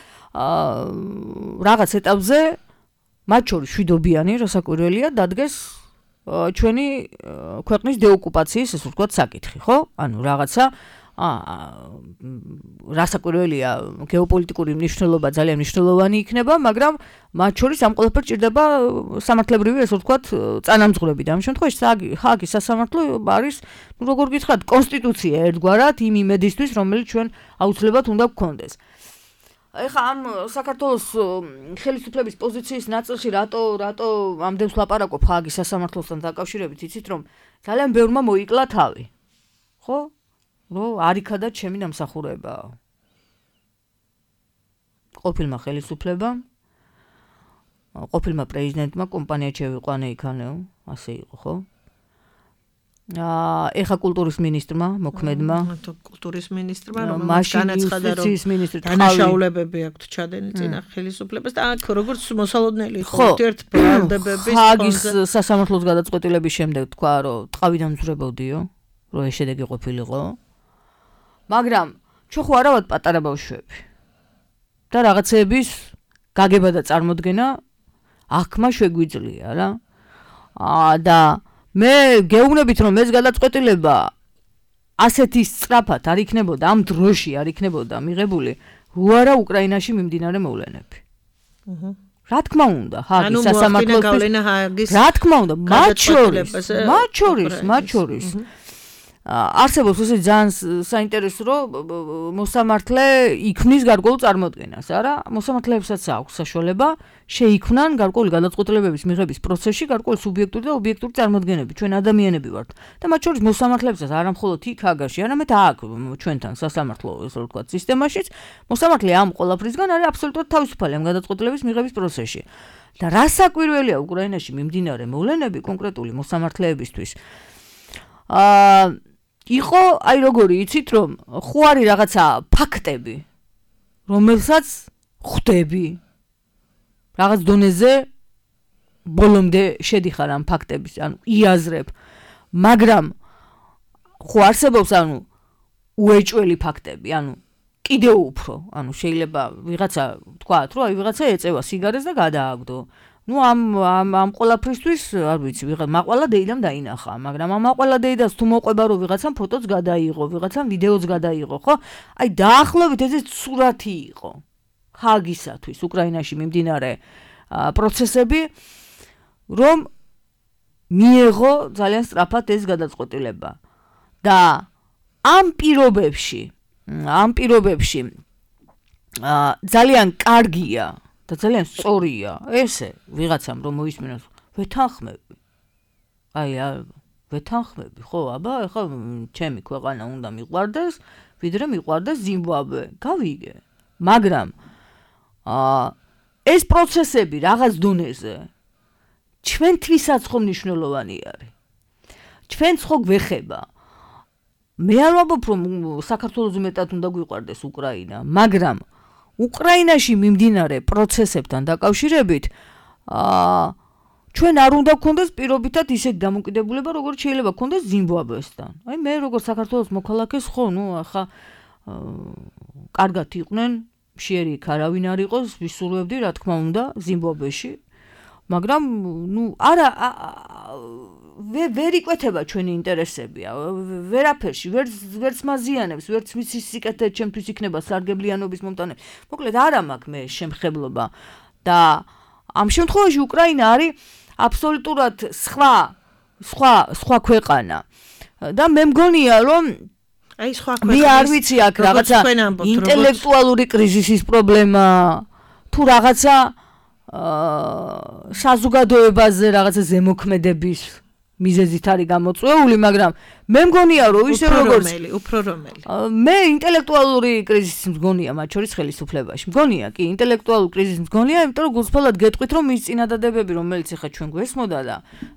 რაღაც ეტაპზე მათ შორის შვიდობიანი, რასაკვირველია, დადგეს ჩვენი ქვეყნის დეოკუპაციის, ესე ვთქვათ, საკითხი, ხო? ანუ რაღაცა რასაკვირველია, გეოპოლიტიკური მნიშვნელობა ძალიან მნიშვნელოვანი იქნება, მაგრამ მათ შორის ამ ყველაფერს ჭირდება სამართლებრივი, ესე ვთქვათ, წანამძღვრები და ამ შემთხვევაში ჰაგის სასამართლო არის, ну როგორ გითხრათ, კონსტიტუცია ერთგვარად იმ იმედისთვის, რომელიც ჩვენ აუცილებლად უნდა გქონდეს. ეხა ამ საქართველოს ხელისუფლების პოზიციის ნაწილში რატო რატო ამდენს ლაპარაკობ ჰაგის სასამართლოსთან დაკავშირებით, იცით რომ ძალიან ბევრმა მოიკლა თავი. ხო? რომ არიქადა ჩემი დამსახურება. ყოფილმა ხელისუფლებამ, ყოფილმა პრეზიდენტმა კომპანია შევიყვანა იქანეო, ასე იყო, ხო? აა ეხა კულტურის ministrმა, მოქმედმა, კულტურის ministrმა, რომელიც განაცხადა, რომ დანაშაულებები აქვთ ჩადენი წინა ხელისუფლებას და აქ როგორც მოსალოდნელი იყო ერთ ბრალდებების ხაგის სასამართლოს გადაწყვეტილების შემდეგ თქვა, რომ ტყავიდან მძვრებოდიო, რომ ეს შედეგი ყოფილიყო. მაგრამ ჩვენ ხო არა ვართ პატარა ბავშვები. და რაღაცეების გაგება და წარმოდგენა აღქმა შეგვიძლია რა. აა და მე გეუბნებით რომ ეს გადაწყვეტილება ასეთი სწრაფად არ იქნებოდა, ამ დროში არ იქნებოდა მიღებული, რო არა უკრაინაში მიმდინარე მოვლენები. აჰა. რა თქმა უნდა, ჰაგის სასამართლოს რა თქმა უნდა, მათ შორის, მათ შორის, მათ შორის არსებობს ესე ძალიან საინტერესო რომ მოსამართლე იქმნის გარკვეულ წარმოდგენას, არა? მოსამართლეებსაც აქვს საშუალება შეიქმნან გარკვეული გადაწყვეტილებების მიღების პროცესში გარკვეული სუბიექტური და ობიექტური წარმოდგენები. ჩვენ ადამიანები ვართ და მათ შორის მოსამართლეებსაც არა მხოლოდ იქ ჰაგაში, არამედ აქ ჩვენთან სასამართლო ესე ვთქვათ სისტემაშიც, მოსამართლე ამ ყველაფრისგან არის აბსოლუტურად თავისუფალი ამ გადაწყვეტილების მიღების პროცესში. და რა საკვირველია უკრაინაში მიმდინარე მოვლენები კონკრეტული მოსამართლეებისთვის. აა იყო, აი როგორი იცით, რომ ხო არის რაღაცა ფაქტები, რომელსაც ხვდები. რაღაც დონეზე ბოლომდე შედიხარ ამ ფაქტების, ანუ იაზრებ. მაგრამ ხო არსებობს, ანუ უეჭველი ფაქტები, ანუ კიდევ უფრო, ანუ შეიძლება ვიღაცა თქვათ, რომ აი ვიღაცა ეწევა სიგარეს და გადააგდო. ნუ ამ ამ ამ ყველაფრისთვის არ ვიცი, ვიღა მაყვალა დეიდამ დაინახა, მაგრამ ამ მაყვალა დეიდას თუ მოყვება რომ ვიღაცამ ფოტოც გადაიღო, ვიღაცამ ვიდეოც გადაიღო, ხო? აი დაახლოებით ეს სურათი იყო ჰაგისათვის უკრაინაში მიმდინარე პროცესები, რომ მიეღო ძალიან სწრაფად ეს გადაწყვეტილება. და ამ პირობებში, ამ პირობებში ძალიან კარგია და ძალიან სწორია ესე ვიღაცამ რომ მოისმინოს ვეთანხმები. აი ვეთანხმები, ხო, აბა, ეხლა ჩემი ქვეყანა უნდა მიყვარდეს, ვიდრე მიყვარდეს ზიმბაბვე. გავიგე. მაგრამ აა ეს პროცესები რაღაც დონეზე ჩვენთვისაც ხო მნიშვნელოვანი არის. ჩვენც ხო გვეხება. მე არ ვამბობ რომ საქართველოს მეტად უნდა გვიყვარდეს უკრაინა, მაგრამ უკრაინაში მიმდინარე პროცესებთან დაკავშირებით აა ჩვენ არ უნდა გქონდეს პირობითად ისეთი დამოკიდებულება, როგორც შეიძლება გქონდეს ზიმბაბვესთან. აი მე როგორც საქართველოს მოქალაქეს ხო, ნუ ახლა კარგად იყვნენ, მშიერი იქ არავინ არ იყოს, ვისურვებდი რა თქმა უნდა ზიმბაბვეში. მაგრამ ნუ არა ვერ იკვეთება ჩვენი ინტერესები, ვერაფერში, ვერც ვერც მაზიანებს, ვერც მის სიკეთე ჩემთვის იქნება სარგებლიანობის მომტანები. მოკლედ არა მაქვს მე შემხებლობა და ამ შემთხვევაში უკრაინა არის აბსოლუტურად სხვა სხვა სხვა ქვეყანა. და მე მგონია რომ აი სხვა ქვეყანა მე არ ვიცი აქ რაღაცა ინტელექტუალური კრიზისის პრობლემა თუ რაღაცა აა საზოგადოებაზე რაღაცა ზემოქმედების მიზეზით არის გამოწვეული, მაგრამ მე მგონია რომ ისე როგორც უფრო რომელი მე ინტელექტუალური კრიზისის მგონია მათ შორის ხელისუფლებაში. მგონია კი ინტელექტუალური კრიზისის მგონია, იმიტომ რომ გულწრფელად გეტყვით რომ ის წინადადებები, რომელიც ახლა ჩვენ გვესმოდა და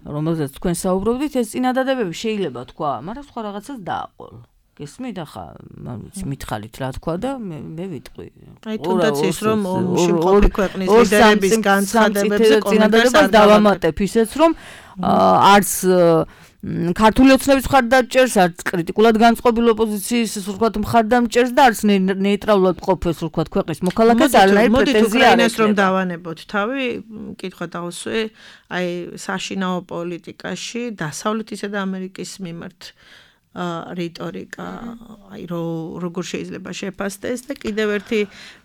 რომელზეც თქვენ საუბრობდით, ეს წინადადებები შეიძლება თქვა, მაგრამ სხვა რაღაცას დააყოლ. გესმით ახლა, ვიცი, მითხარით რა თქვა და მე მე ვიტყვი. აი თუნდაც ის რომ ომში მყოფი ქვეყნის ლიდერების განცხადებებზე წინადადებას დავამატებ ისეც რომ არც ქართული ოცნების მხარდამჭერს, არც კრიტიკულად განწყობილ ოპოზიციის ისე ვთქვათ მხარდამჭერს და არც ნეიტრალურად ყოფეს ვთქვათ ქვეყნის მოქალაქეს არანაირი პრეტენზია არ აქვს. რომ დავანებოთ თავი, კითხვა დავსვე, აი საშინაო პოლიტიკაში დასავლეთისა და ამერიკის მიმართ რიტორიკა, აი როგორ შეიძლება შეფასდეს და კიდევ ერთი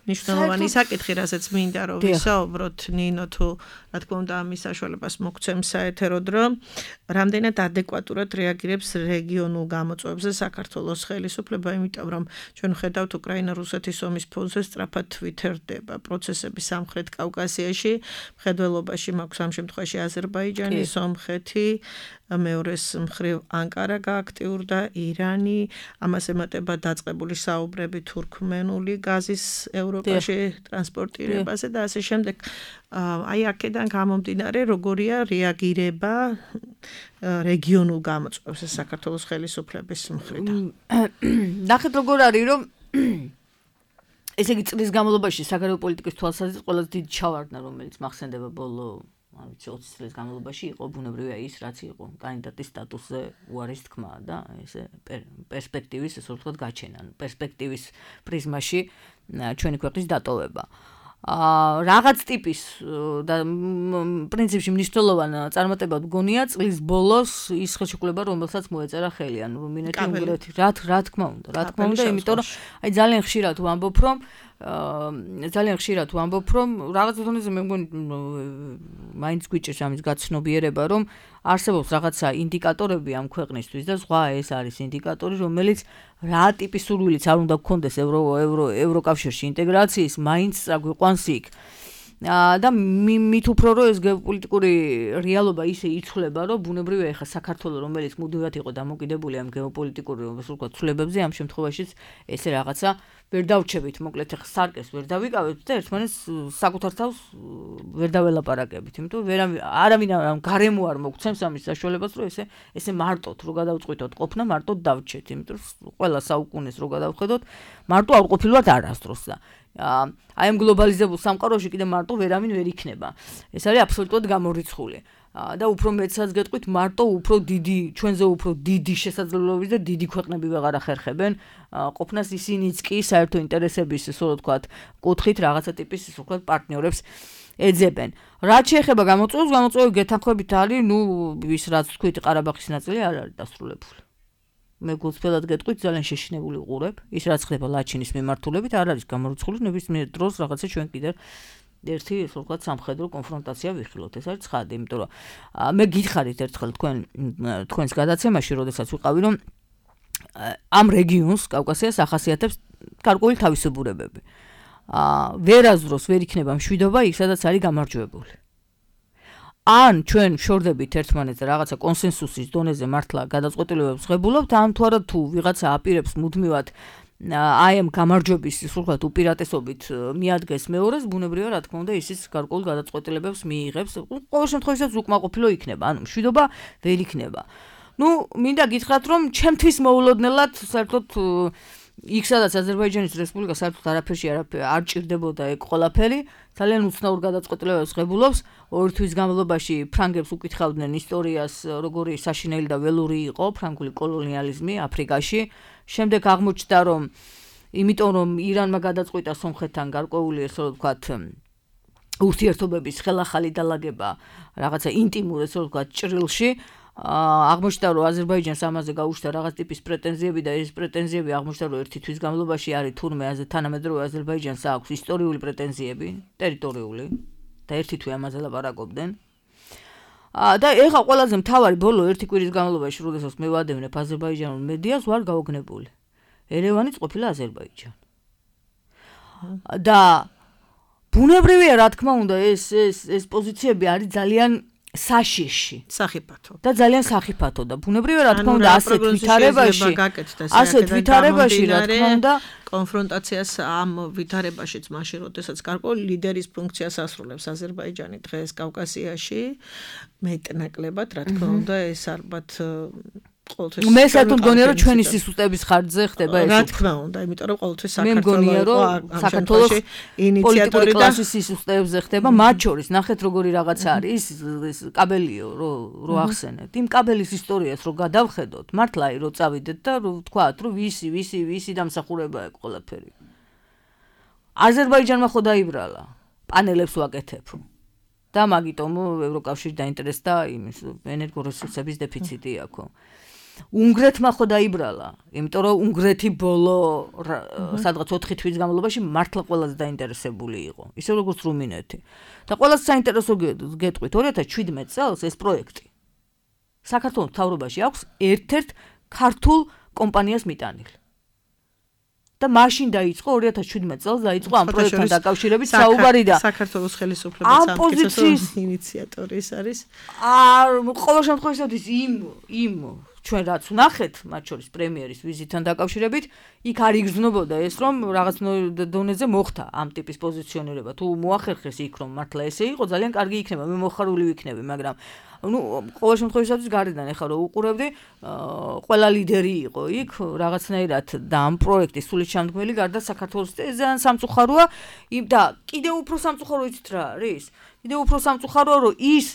მნიშვნელოვანი საკითხი, რასაც მინდა რომ ვისაუბროთ, ნინო თუ რა თქმა უნდა ამის საშუალებას მოგცემს საეთეროდ, რომ რამდენად ადეკვატურად რეაგირებს რეგიონულ გამოწვევებზე საქართველოს ხელისუფლება, იმიტომ რომ ჩვენ ხედავთ უკრაინა რუსეთის ომის ფონზე სწრაფად ვითარდება პროცესები სამხრეთ კავკასიაში, მხედველობაში მაქვს ამ შემთხვევაში აზერბაიჯანი, სომხეთი, მეორეს მხრივ ანკარა გააქტიურდა, ირანი, ამას ემატება დაწყებული საუბრები თურქმენული გაზის ევროპაში ტრანსპორტირებაზე და ასე შემდეგ. აი აქედან გამომდინარე, როგორია რეაგირება რეგიონულ გამოწვევებს საქართველოს ხელისუფლების მხრიდან. ნახეთ როგორ არის, რომ ესე იგი წლის განმავლობაში საგარეო პოლიტიკის თვალსაზრისით ყველაზე დიდი ჩავარდნა, რომელიც მახსენდება ბოლო არ ვიცი ოცი წლის განმავლობაში იყო ბუნებრივია ის, რაც იყო კანდიდატის სტატუსზე უარის თქმა და ესე პერსპექტივის, ესე ვთქვათ, გაჩენა, პერსპექტივის პრიზმაში ჩვენი ქვეყნის დატოვება. აა რაღაც ტიპის და პრინციპში მნიშვნელოვან წარმატებად გონია წლის ბოლოს ის ხელშეკრულება, რომელსაც მოეწერა ხელი, ანუ რუმინეთი, უნგრეთი, რა რა თქმა უნდა, რა თქმა უნდა, იმიტომ რომ აი ძალიან ხშირად ვამბობ, რომ აა ძალიან ხშირად ვამბობ, რომ რაღაც დონეზე მე მგონი მაინც გვიჭირს ამის გაცნობიერება, რომ არსებობს რაღაცა ინდიკატორები ამ ქვეყნისთვის და სხვა ეს არის ინდიკატორი, რომელიც რა ტიპის სურვილიც არ უნდა გქონდეს ევრო ევრო ევროკავშირში ინტეგრაციის, მაინც წაგვიყვანს იქ. და მით უფრო რომ ეს გეოპოლიტიკური რეალობა ისე იცვლება, რომ ბუნებრივია ეხა საქართველოს, რომელიც მუდმივად იყო დამოკიდებული ამ გეოპოლიტიკური ვთქვათ ცვლილებებზე, ამ შემთხვევაშიც ესე რაღაცა ვერ დავჩებით, მოკლედ ეხა სარკეს ვერ დავიკავებთ და ერთმანეთს საკუთარ თავს ვერ დაველაპარაკებით, იმიტომ რომ არავინ ამ გარემო არ მოგცემს ამის საშუალებას, რომ ესე ესე მარტოდ რო გადავწყვიტოთ ყოფნა, მარტოდ დავჩეთ, იმიტომ რომ ყველა საუკუნეს რო გადავხედოთ, მარტო არ ყოფილვართ არასდროს და აი ამ გლობალიზებულ სამყაროში კიდე მარტო ვერავინ ვერ იქნება. ეს არის აბსოლუტურად გამორიცხული. და უფრო მეცაც გეტყვით, მარტო უფრო დიდი, ჩვენზე უფრო დიდი შესაძლებლობები და დიდი ქვეყნები ვეღარ ახერხებენ ყოფნას, ისინიც კი საერთო ინტერესების, ისე ვთქვათ, კუთხით რაღაცა ტიპის, ისე ვთქვათ, პარტნიორებს ეძებენ. რაც შეეხება გამოწვევებს, გამოწვევები გეთანხმებით არის, ნუ ის რაც თქვით, ყარაბაღის ნაწილი არ არის დასრულებული. მე გულწრფელად გეტყვით, ძალიან შეშინებული ვყურებ. ის რაც ხდება ლაჩინის მიმართულებით, არ არის გამორიცხული, ნებისმიერ დროს რაღაცა ჩვენ კიდევ ერთი ისე ვთქვათ სამხედრო კონფრონტაცია ვიხილოთ. ეს არის ცხადი, იმიტომ რომ მე გითხარით ერთხელ თქვენ თქვენს გადაცემაში, როდესაც ვიყავი, რომ ამ რეგიონს, კავკასიას ახასიათებს გარკვეული თავისებურებები. აა ვერაზროს ვერ იქნება მშვიდობა იქ, სადაც არის გამარჯვებული. ან ჩვენ შორდებით ერთმანეთს რაღაცა კონსენსუსის დონეზე მართლა გადაწყვეტილებებს ღებულობთ, ან თუ არა თუ ვიღაცა აპირებს მუდმივად აი ამ გამარჯვების სულხად უპირატესობით მიადგეს მეორეს, ბუნებრივია რა თქმა უნდა ისიც გარკვეულ გადაწყვეტილებებს მიიღებს. ყოველ შემთხვევაში უკმაყოფილო იქნება, ანუ მშვიდობა ვერ იქნება. ნუ მინდა გითხრათ, რომ ჩემთვის მოულოდნელად საერთოდ იქ სადაც აზერბაიჯანის რესპუბლიკა საერთოდ არაფერში არ ჭირდებოდა ეგ ყველაფერი, ძალიან უცნაურ გადაწყვეტილებებს ღებულობს. ორი თვის განმავლობაში ფრანგებს უკითხავდნენ ისტორიას, როგორი საშინელი და ველური იყო ფრანგული კოლონიალიზმი აფრიკაში. შემდეგ აღმოჩნდა, რომ იმიტომ რომ ირანმა გადაწყვიტა სომხეთთან გარკვეული, ესე ვთქვათ, ურთიერთობების ხელახალი დალაგება რაღაცა ინტიმურ, ესე ვთქვათ, ჭრილში, აღმოჩნდა, რომ აზერბაიჯანს ამაზე გაუჩნდა რაღაც ტიპის პრეტენზიები და ეს პრეტენზიები აღმოჩნდა, რომ ერთი თვის განმავლობაში არის თურმე თანამედროვე აზერბაიჯანს აქვს ისტორიული პრეტენზიები, ტერიტორიული და ერთი თვე ამაზე ლაპარაკობდნენ. და ეხა ყველაზე მთავარი ბოლო ერთი კვირის განმავლობაში, როდესაც მე ვადევნებ აზერბაიჯანულ მედიას, ვარ გაოგნებული. ერევანიც ყოფილა აზერბაიჯანი. და ბუნებრივია, რა თქმა უნდა, ეს ეს ეს პოზიციები არის ძალიან საშიში, სახიფათო. და ძალიან სახიფათო და ბუნებრივია, რა თქმა უნდა, ასეთ ვითარებაში, ასეთ ვითარებაში, რა თქმა უნდა, კონფრონტაციას ამ ვითარებაშიც მაშინ, როდესაც გარკვეული ლიდერის ფუნქციას ასრულებს აზერბაიჯანი დღეს კავკასიაში, მეტნაკლებად, რა თქმა უნდა, ეს ალბათ ყოველთვის მე საერთოდ მგონია, რომ ჩვენი სისუსტების ხარჯზე ხდება ეს. რა თქმა უნდა, იმიტომ რომ ყოველთვის საქართველოს მე მგონია, რომ საქართველოს პოლიტიკური კლასის სისუსტებზე ხდება, მათ შორის ნახეთ როგორი რაღაცა არის, ეს კაბელიო, რო რო ახსენეთ. იმ კაბელის ისტორიას რო გადავხედოთ, მართლა რო წავიდეთ და რო ვთქვათ, რომ ვისი, ვისი, ვისი დამსახურებაა ყველაფერი. აზერბაიჯანმა ხო დაიბრალა, პანელებს ვაკეთებ. და მაგიტომ ევროკავშირი დაინტერესდა იმის ენერგორესურსების დეფიციტი აქვს. უნგრეთმა ხო დაიბრალა, იმიტომ რომ უნგრეთი ბოლო სადღაც ოთხი თვის განმავლობაში მართლა ყველაზე დაინტერესებული იყო, ისე როგორც რუმინეთი. და ყველაზე საინტერესო გეტყვით, ორი ათას შვიდმეტ წელს ეს პროექტი საქართველოს მთავრობაში აქვს ერთ-ერთ ქართულ კომპანიას მიტანილი. და მაშინ დაიწყო ორი ათას შვიდმეტ წელს დაიწყო ამ პროექტთან დაკავშირებით საუბარი და საქართველოს ხელისუფლების ამ პოზიციის ინიციატორი ის არის. არ ყოველ შემთხვევაში იმ იმ ჩვენ რაც ვნახეთ, მათ შორის პრემიერის ვიზიტთან დაკავშირებით, იქ არ იგრძნობოდა ეს, რომ რაღაც დონეზე მოხდა ამ ტიპის პოზიციონირება. თუ მოახერხეს იქ, რომ მართლა ესე იყო, ძალიან კარგი იქნება, მე მოხარული ვიქნები, მაგრამ ну, ყოველ შემთხვევაში გარედან ეხლა რომ უყურებდი, ყველა ლიდერი იყო იქ, რაღაცნაირად და ამ პროექტის სულის ჩამდგმელი გარდა საქართველოს ძალიან სამწუხაროა, და კიდევ უფრო სამწუხარო იცით რა არის? კიდევ უფრო სამწუხაროა, რომ ის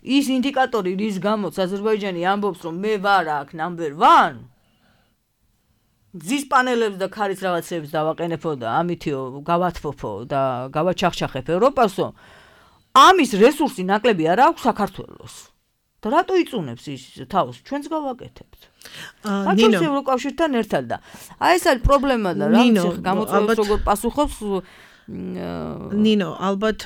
ის ინდიკატორი, რის გამოც აზერბაიჯანი ამბობს, რომ მე ვარ აქ number one, ძის პანელებს და ქარის რაღაცებს დავაყენებო და ამითიო გავათფოფო და გავაჩახჩახებ ევროპასო, ამის რესურსი ნაკლები არ აქვს საქართველოს. და რატო იწუნებს ის თავს? ჩვენც გავაკეთებთ. ნინო ევროკავშირთან ერთად და აი ეს არის პრობლემა და რა გამოწვევს როგორ პასუხობს ნინო, ალბათ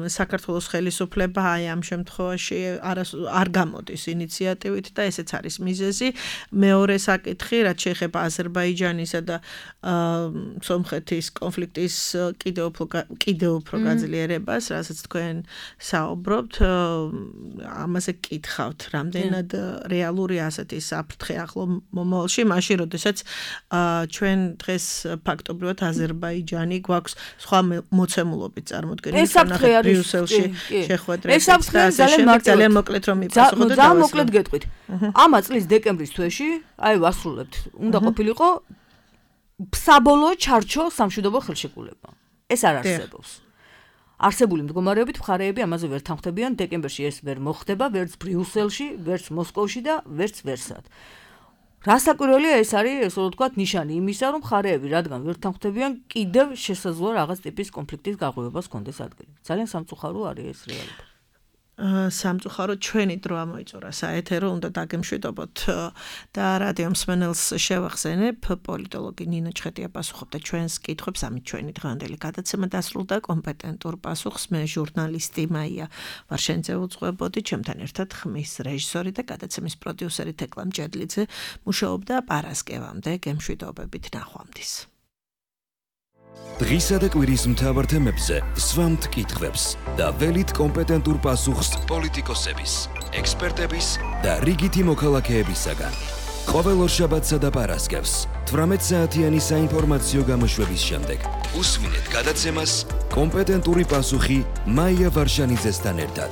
საქართველოს ხელისუფლება აი ამ შემთხვევაში არ გამოდის ინიციატივით და ესეც არის მიზეზი. მეორე საკითხი, რაც შეეხება აზერბაიჯანისა და სომხეთის კონფლიქტის კიდევ უფრო კიდევ უფრო გაძლიერებას, რასაც თქვენ საუბრობთ, ამაზე გკითხავთ, რამდენად რეალური ასეთი საფრთხე ახლო მომავალში, მაშინ როდესაც ჩვენ დღეს ფაქტობრივად აზერბაიჯანი გვაქვს სხვა მოცემულობით წარმოდგენილი თანახმად ბრიუსელში შეხვედრები. ეს საფრთხე ძალიან ძალიან მოკლედ რომ მიპასუხოთ და ძალიან მოკლედ გეტყვით. ამა წლის დეკემბრის თვეში, აი ვასრულებთ, უნდა ყოფილიყო საბოლოო ჩარჩო სამშვიდობო ხელშეკრულება. ეს არ არსებობს. არსებული მდგომარეობით მხარეები ამაზე ვერ თანხმდებიან, დეკემბერში ეს ვერ მოხდება, ვერც ბრიუსელში, ვერც მოსკოვში და ვერც ვერსად. რასაკვირველია, ეს არის, ესე რომ ვთქვათ, ნიშანი იმისა, რომ მხარეები რადგან ვერ თანხმდებიან, კიდევ შესაძლოა რაღაც ტიპის კონფლიქტის გაღვივებას კონდეს ადგილი. ძალიან სამწუხარო არის ეს რეალობა. სამწუხარო ჩვენი დრო ამოიწურა საეთერო, უნდა დაგემშვიდობოთ და რადიო მსმენელს შევახსენებ, პოლიტოლოგი ნინო ჩხეტია პასუხობდა ჩვენს კითხვებს, ამით ჩვენი დღევანდელი გადაცემა დასრულდა. კომპეტენტურ პასუხს მე ჟურნალისტი მაია ვარშენიძე უძღვებოდი, ჩემთან ერთად ხმის რეჟისორი და გადაცემის პროდიუსერი თეკლა მჭედლიძე მუშაობდა პარასკევამდე. გემშვიდობებით, ნახვამდის. დღისა და კვირის მთავარ თემებზე სვამთ კითხვებს და ველით კომპეტენტურ პასუხს პოლიტიკოსების, ექსპერტების და რიგითი მოქალაქეებისაგან. ყოველ ორშაბათსა და პარასკევს თვრამეტ საათიანი საინფორმაციო გამოშვების შემდეგ უსვინეთ გადაცემას კომპეტენტური პასუხი მაია ვარშანიძესთან ერთად.